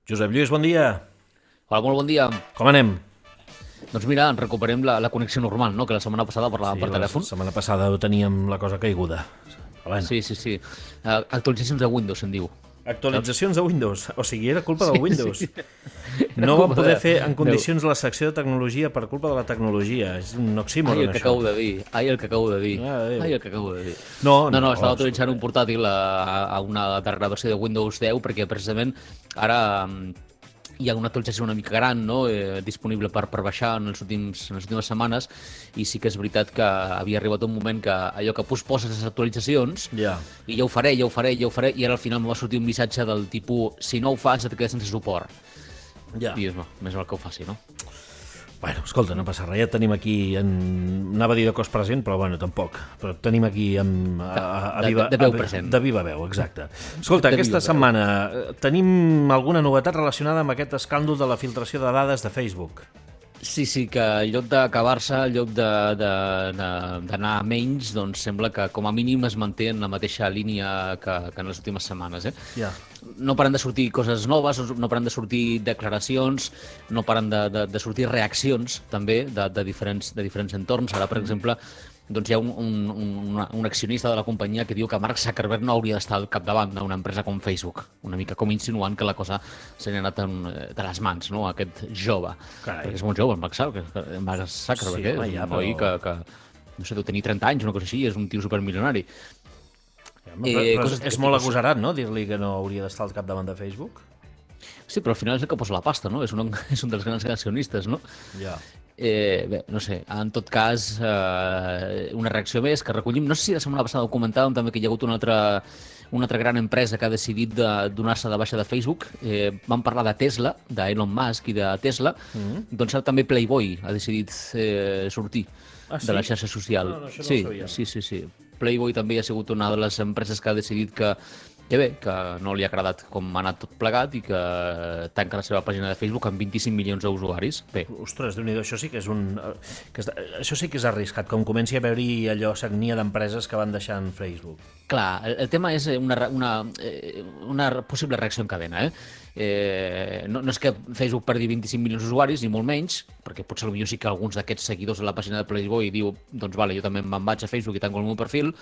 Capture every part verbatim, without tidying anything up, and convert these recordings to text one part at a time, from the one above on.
Josep Lluís, bon dia. Hola, molt bon dia. Com anem? Doncs mira, recuperem la, la connexió normal, no? Que la setmana passada parlàvem Sí, per telèfon. la setmana passada ho teníem la cosa caiguda. Però bueno. Sí, sí, sí. Uh, actualitzacions de Windows, se'n diu. Actualitzacions de Windows. O sigui, era culpa del Windows. Sí. No vam poder fer en Déu. condicions la secció de tecnologia per culpa de la tecnologia. És un oxímoron, Ai, el que això. acabo de dir. Ai, el que acabo de dir. Ah, Déu. Ai, el que acabo de dir. No, No, no, no, estava oh, autoritzant un portàtil a, a una darrera versió de Windows deu perquè precisament ara mm, hi ha una actualització una mica gran, no? eh, disponible per, per baixar en, els últims, en les últimes setmanes, i sí que és veritat que havia arribat un moment que allò que posposes les actualitzacions Ja. i ja ho faré, ja ho faré, ja ho faré, i ara al final em va sortir un missatge del tipus si no ho fas et quedes sense suport. Ja. I dius, no, més val que ho faci, no? Bueno, escolta, no passa res, ja tenim aquí, en... anava a dir de cos present, però bueno, tampoc. Però tenim aquí amb, a, a, a De- viva, de veu a- present. De viva veu, exacte. Escolta, De aquesta viva veu. setmana eh, tenim alguna novetat relacionada amb aquest escàndol de la filtració de dades de Facebook. Sí, sí, que en lloc d'acabar-se, en lloc de- de- de- d'anar a menys, doncs sembla que com a mínim es manté en la mateixa línia que, que en les últimes setmanes. Eh? Ja. No paren de sortir coses noves, no paren de sortir declaracions, no paren de, de, de sortir reaccions també de, de, diferents, de diferents entorns. Ara, per exemple, doncs hi ha un, un, un, un accionista de la companyia que diu que Mark Zuckerberg no hauria d'estar al capdavant d'una empresa com Facebook, una mica com insinuant que la cosa se n'ha anat en, de les mans, no?, aquest jove. Carai. Perquè és molt jove, el Mark Zuckerberg, Mark Zuckerberg Sí, eh? home, és ja, un noi però- que, que, no sé, deu tenir trenta anys, una cosa així, és un tio supermilionari. Ja, però, Eh, però coses és, és que- molt agosarat, no?, dir-li que no hauria d'estar al capdavant de Facebook. Sí, però al final és el que posa la pasta, no? És un, és un dels grans accionistes, no? Ja. Eh, bé, no sé, en tot cas, eh, una reacció més que recollim. No sé si la setmana passada ho comentàvem també que hi ha hagut una altra, una altra gran empresa que ha decidit de donar-se de baixa de Facebook. Eh, vam parlar de Tesla, d'Elon Musk i de Tesla. Mm-hmm. Doncs ara també Playboy ha decidit eh, sortir Ah, sí? de la xarxa social. No, no, això no ho sí, sabia. sí, sí, sí. Playboy també ha sigut una de les empreses que ha decidit que que bé, que no li ha agradat com ha anat tot plegat i que tanca la seva pàgina de Facebook amb vint-i-cinc milions d'usuaris. Bé, Ostres, déu-n'hi-do, això sí que és un... Que és, això sí que és arriscat, com comenci a veure-hi allò sagnia d'empreses que van deixant Facebook. clar, el, el tema és una, re- una, eh, una possible reacció en cadena, eh? Eh, no, no és que Facebook perdi vint-i-cinc milions d'usuaris, ni molt menys, perquè potser potser sí que alguns d'aquests seguidors de la pàgina de Playboy diu, doncs vale, jo també me'n vaig a Facebook i tanco el meu perfil,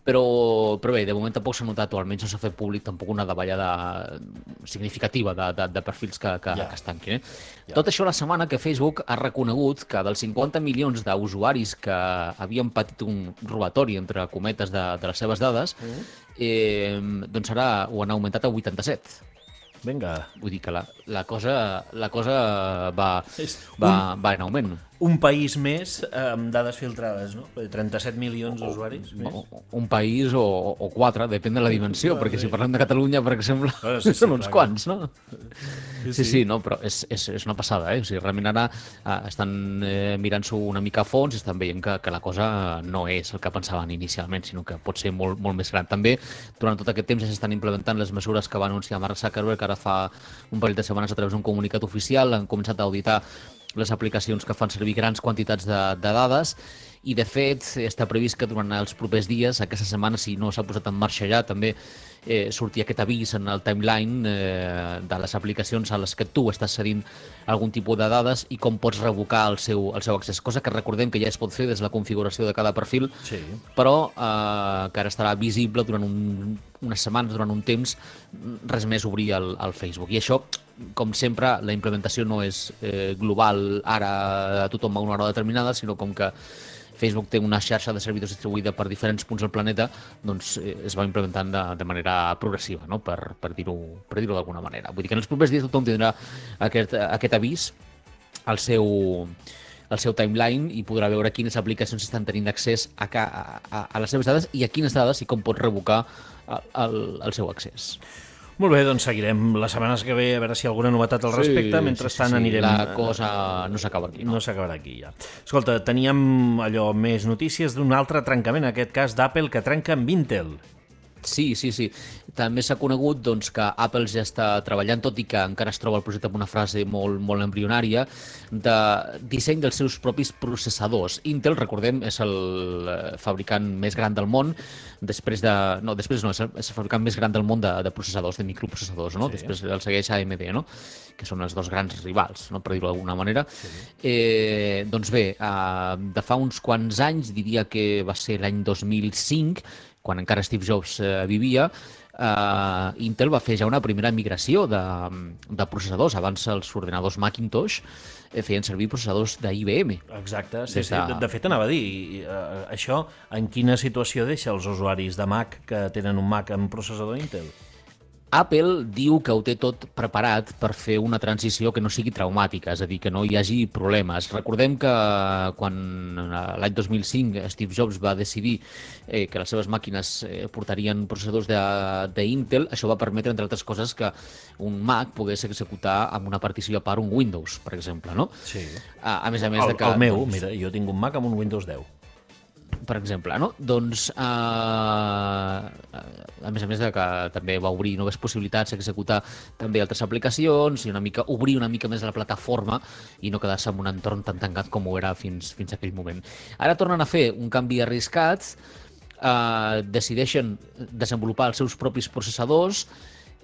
però, però bé, de moment tampoc s'ha notat, o almenys no s'ha fet públic tampoc una davallada significativa de, de, de perfils que, que, Ja. que es tanquin. Eh? Tot això la setmana que Facebook ha reconegut que dels cinquanta milions d'usuaris que havien patit un robatori, entre cometes, de, de les seves dades, eh, doncs ara ho han augmentat a vuitanta-set. Vinga, Vull dir que la, la, cosa, la cosa va, És va, va en augment. un país més eh, amb dades filtrades, no? trenta-set milions d'usuaris més. O- Un país o, o quatre, depèn de la dimensió, Clar, perquè sí. si parlem de Catalunya, per exemple, Ah, sí, sí, són uns clar, quants, no? Sí, Sí, sí, no, però és, és, és una passada, eh? O sigui, realment ara eh, estan eh, mirant-s'ho una mica a fons i estan veient que, que la cosa no és el que pensaven inicialment, sinó que pot ser molt, molt més gran. També, durant tot aquest temps ja s'estan implementant les mesures que va anunciar Mark Zuckerberg ara fa un parell de setmanes a través d'un comunicat oficial. Han començat a auditar les aplicacions que fan servir grans quantitats de, de dades i, de fet, està previst que durant els propers dies, aquesta setmana, si no s'ha posat en marxa ja, també eh, sortir aquest avís en el timeline eh, de les aplicacions a les que tu estàs cedint algun tipus de dades i com pots revocar el seu, el seu accés, cosa que recordem que ja es pot fer des de la configuració de cada perfil, Sí. però eh, que ara estarà visible durant un, unes setmanes, durant un temps, res més obrir el, el Facebook. I això, com sempre, la implementació no és eh, global ara a tothom a una hora determinada, sinó com que Facebook té una xarxa de servidors distribuïda per diferents punts del planeta, doncs eh, es va implementant de, de manera progressiva, no? per, per dir-ho per dir-ho d'alguna manera. Vull dir que en els propers dies tothom tindrà aquest, aquest avís al seu, al seu timeline i podrà veure quines aplicacions estan tenint accés a, ca, a, a les seves dades i a quines dades i com pot revocar el, el, el seu accés. Molt bé, doncs seguirem les setmanes que ve a veure si hi ha alguna novetat al respecte. Mentrestant anirem... La cosa no s'acaba aquí, no? No s'acabarà aquí, ja. Escolta, teníem allò més notícies d'un altre trencament, en aquest cas d'Apple, que trenca amb Intel. Sí, sí, sí. També s'ha conegut doncs, que Apple ja està treballant, tot i que encara es troba el projecte amb una frase molt, molt embrionària, de disseny dels seus propis processadors. Intel, recordem, és el fabricant més gran del món, després de... No, després no, és el, és el fabricant més gran del món de, de processadors, de microprocessadors, no? Sí. Després el segueix A M D, no? Que són els dos grans rivals, no? Per dir-ho d'alguna manera. Sí. Eh, doncs bé, eh, de fa uns quants anys, diria que va ser l'any dos mil cinc, quan encara Steve Jobs eh, vivia, eh, Intel va fer ja una primera migració de, de processadors. Abans els ordenadors Macintosh eh, feien servir processadors d'I B M. Exacte, sí, sí. De... de fet anava a dir, eh, això en quina situació deixa els usuaris de Mac que tenen un Mac amb processador Intel? Apple diu que ho té tot preparat per fer una transició que no sigui traumàtica, és a dir, que no hi hagi problemes. Recordem que quan l'any dos mil cinc Steve Jobs va decidir eh, que les seves màquines eh, portarien processadors d'Intel, això va permetre, entre altres coses, que un Mac pogués executar amb una partició a part un Windows, per exemple, no? Sí. A, a més a més el, de que... El meu, doncs, mira, jo tinc un Mac amb un Windows deu. Per exemple, no? Doncs, eh, a més a més de que també va obrir noves possibilitats, executar també altres aplicacions i una mica obrir una mica més la plataforma i no quedar-se en un entorn tan tancat com ho era fins, fins a aquell moment. Ara tornen a fer un canvi arriscat, eh, decideixen desenvolupar els seus propis processadors,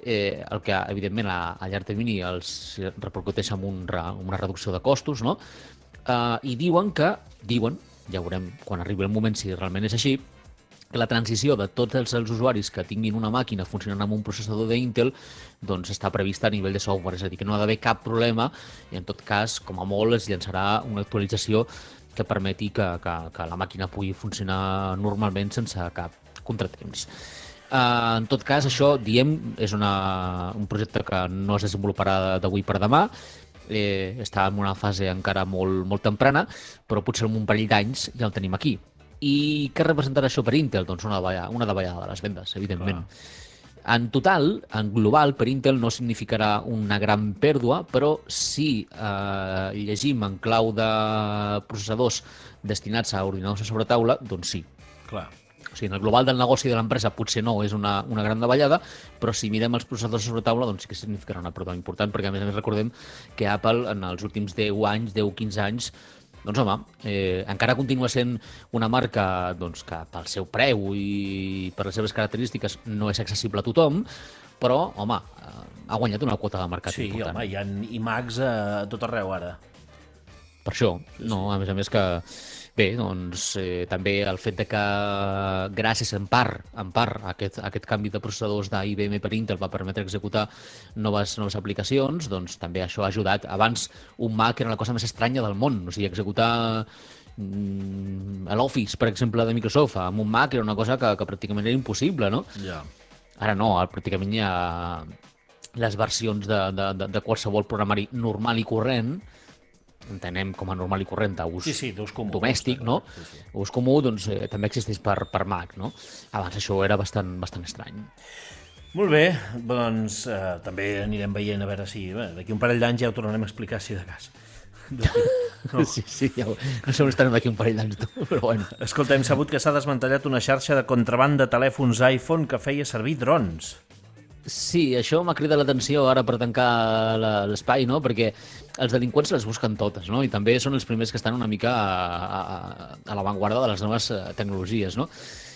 eh, el que, evidentment, a, a llarg termini els repercuteix en un, una reducció de costos, no? Eh, I diuen que, diuen, ja veurem quan arribi el moment si realment és així, que la transició de tots els, els usuaris que tinguin una màquina funcionant amb un processador d'Intel doncs està prevista a nivell de software, és a dir, que no ha d'haver cap problema i en tot cas, com a molt, es llançarà una actualització que permeti que, que, que la màquina pugui funcionar normalment sense cap contratemps. Uh, en tot cas, això, diem, és una, un projecte que no es desenvoluparà d'avui per demà, Eh, està en una fase encara molt, molt temprana, però potser en un parell d'anys ja el tenim aquí. I què representarà això per Intel? Doncs una davallada, una davallada de les vendes, evidentment. Clar. En total, en global, per Intel no significarà una gran pèrdua, però si eh, llegim en clau de processadors destinats a ordinadors a sobretaula, doncs sí. Clar. O sigui, en el global del negoci de l'empresa potser no és una, una gran davallada, però si mirem els processadors sobre taula, doncs sí que significarà una pèrdua important, perquè a més a més recordem que Apple en els últims deu anys, deu a quinze anys, doncs home, eh, encara continua sent una marca doncs, que pel seu preu i per les seves característiques no és accessible a tothom, però, home, ha guanyat una quota de mercat sí, important. Sí, home, hi ha iMacs a tot arreu ara. Per això, no, a més a més que... Bé, doncs eh, també el fet de que gràcies en part, en part a aquest, a aquest canvi de processadors d'I B M per Intel va permetre executar noves, noves aplicacions, doncs també això ha ajudat. Abans un Mac era la cosa més estranya del món, o sigui, executar mm, l'Office, per exemple, de Microsoft amb un Mac era una cosa que, que pràcticament era impossible, no? Ja. Ara no, pràcticament hi ha les versions de, de, de, de qualsevol programari normal i corrent, entenem com a normal i corrent d'ús sí, sí, comú, domèstic, no? Sí, sí. Ús comú, doncs, eh, també existeix per, per Mac, no? Abans això era bastant, bastant estrany. Molt bé, doncs eh, també anirem veient a veure si bé, d'aquí un parell d'anys ja ho tornarem a explicar si de cas. No. Sí, sí, ja ho... no sé on estarem d'aquí un parell d'anys, però bueno. Escolta, hem sabut que s'ha desmantellat una xarxa de contraban de telèfons iPhone que feia servir drons. Sí, això m'ha cridat l'atenció ara per tancar l'espai, no? Perquè els delinqüents les busquen totes, no? I també són els primers que estan una mica a, a, a l'avantguarda de les noves tecnologies, no?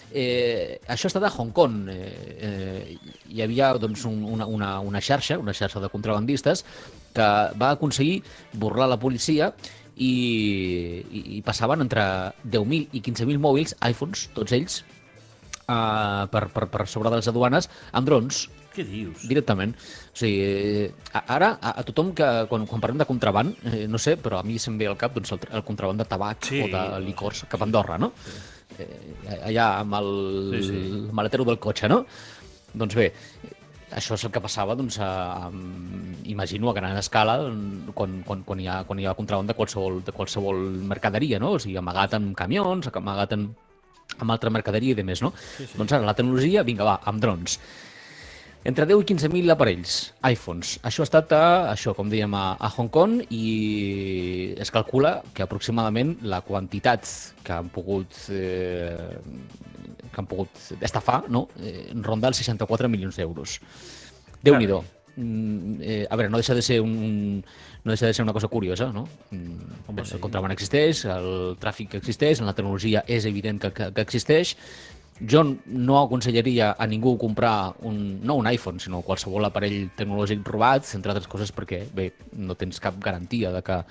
Eh, això ha estat a Hong Kong. Eh, eh, hi havia doncs, un, una, una, una xarxa, una xarxa de contrabandistes que va aconseguir burlar la policia i, i, i passaven entre deu mil i quinze mil mòbils, iPhones, tots ells, eh, per, per, per sobre de les aduanes, amb drons. Què dius? Directament. O sigui, ara, a, a tothom que, quan, quan parlem de contraband, eh, no sé, però a mi se'm ve al cap doncs, el, el contraband de tabac sí, o de licors cap a Andorra, no? Sí. Eh, allà amb el, sí, sí. el maletero del cotxe, no? Doncs bé, això és el que passava, doncs, a, a, imagino, a gran escala, quan, quan, quan, hi ha, quan hi ha contraband de qualsevol, de qualsevol mercaderia, no? O sigui, amagat en camions, amagat en, amb altra mercaderia i demés, no? Sí, sí. Doncs ara la tecnologia, vinga, va, amb drons. Entre deu i quinze mil aparells, iPhones. Això ha estat, a, això, com dèiem, a, a Hong Kong i es calcula que aproximadament la quantitat que han pogut eh, que han pogut estafar, no? Eh, ronda els seixanta-quatre milions d'euros. Déu-n'hi-do. Mm, eh, a veure, no deixa de ser un, un no deixa de ser una cosa curiosa, no? Mm, Home, sí. El contraban existeix, el tràfic existeix, la tecnologia és evident que, que, que existeix. Jo no aconsellaria a ningú comprar un, no un iPhone, sinó qualsevol aparell tecnològic robat, entre altres coses perquè, bé, no tens cap garantia de que,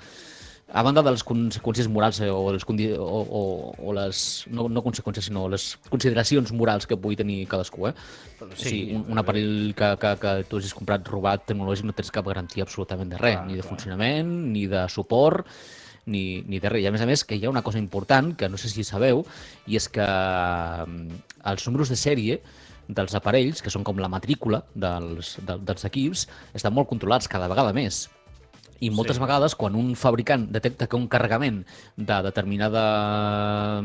a banda de les conseqüències morals eh, o, les, o, o, o les, no, no conseqüències, sinó les consideracions morals que pugui tenir cadascú, eh? Sí, o sigui, un, un aparell que, que, que tu hagis comprat robat tecnològic no tens cap garantia absolutament de res, clar, ni de clar. funcionament, ni de suport, ni, ni de res. I a més a més que hi ha una cosa important, que no sé si sabeu, i és que els números de sèrie dels aparells, que són com la matrícula dels, de, dels equips, estan molt controlats cada vegada més. I moltes sí. vegades, quan un fabricant detecta que un carregament de determinada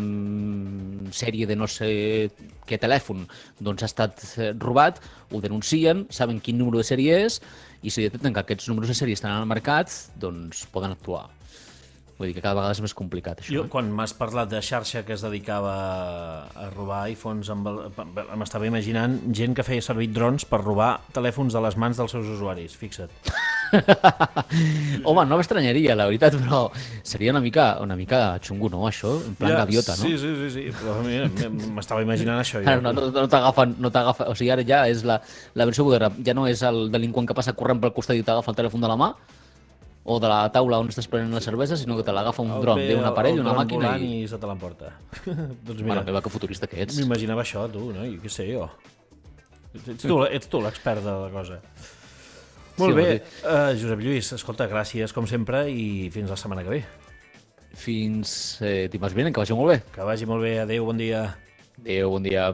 sèrie de no sé què telèfon doncs ha estat robat, ho denuncien, saben quin número de sèrie és, i si detecten que aquests números de sèrie estan al mercat, doncs poden actuar. Vull dir que cada vegada és més complicat, això. Jo, quan m'has parlat de xarxa que es dedicava a robar iPhones, m'estava imaginant gent que feia servir drons per robar telèfons de les mans dels seus usuaris, fixa't. Home, no m'estranyaria, la veritat, però seria una mica, una mica xungo, no, això? En plan ja, gaviota, no? Sí, sí, sí, sí. Però m'estava imaginant això. Ja. No, no, no t'agafen, no t'agafen, o sigui, ara ja és la, la versió moderna, ja no és el delinqüent que passa corrent pel costat i t'agafa el telèfon de la mà, o de la taula on estàs prenent la cervesa, sinó que te l'agafa un dron, ve un aparell, una màquina i... i se te l'emporta. Doncs mira, mare meva, que futurista que ets. M'imaginava això, tu, no? I què sé jo. Ets tu, ets tu l'expert de la cosa. Molt sí, bé, uh, Josep Lluís, escolta, gràcies com sempre i fins la setmana que ve. Fins eh, dimarts vinent, que vagi molt bé. Que vagi molt bé, adéu, bon dia. Adéu, bon dia.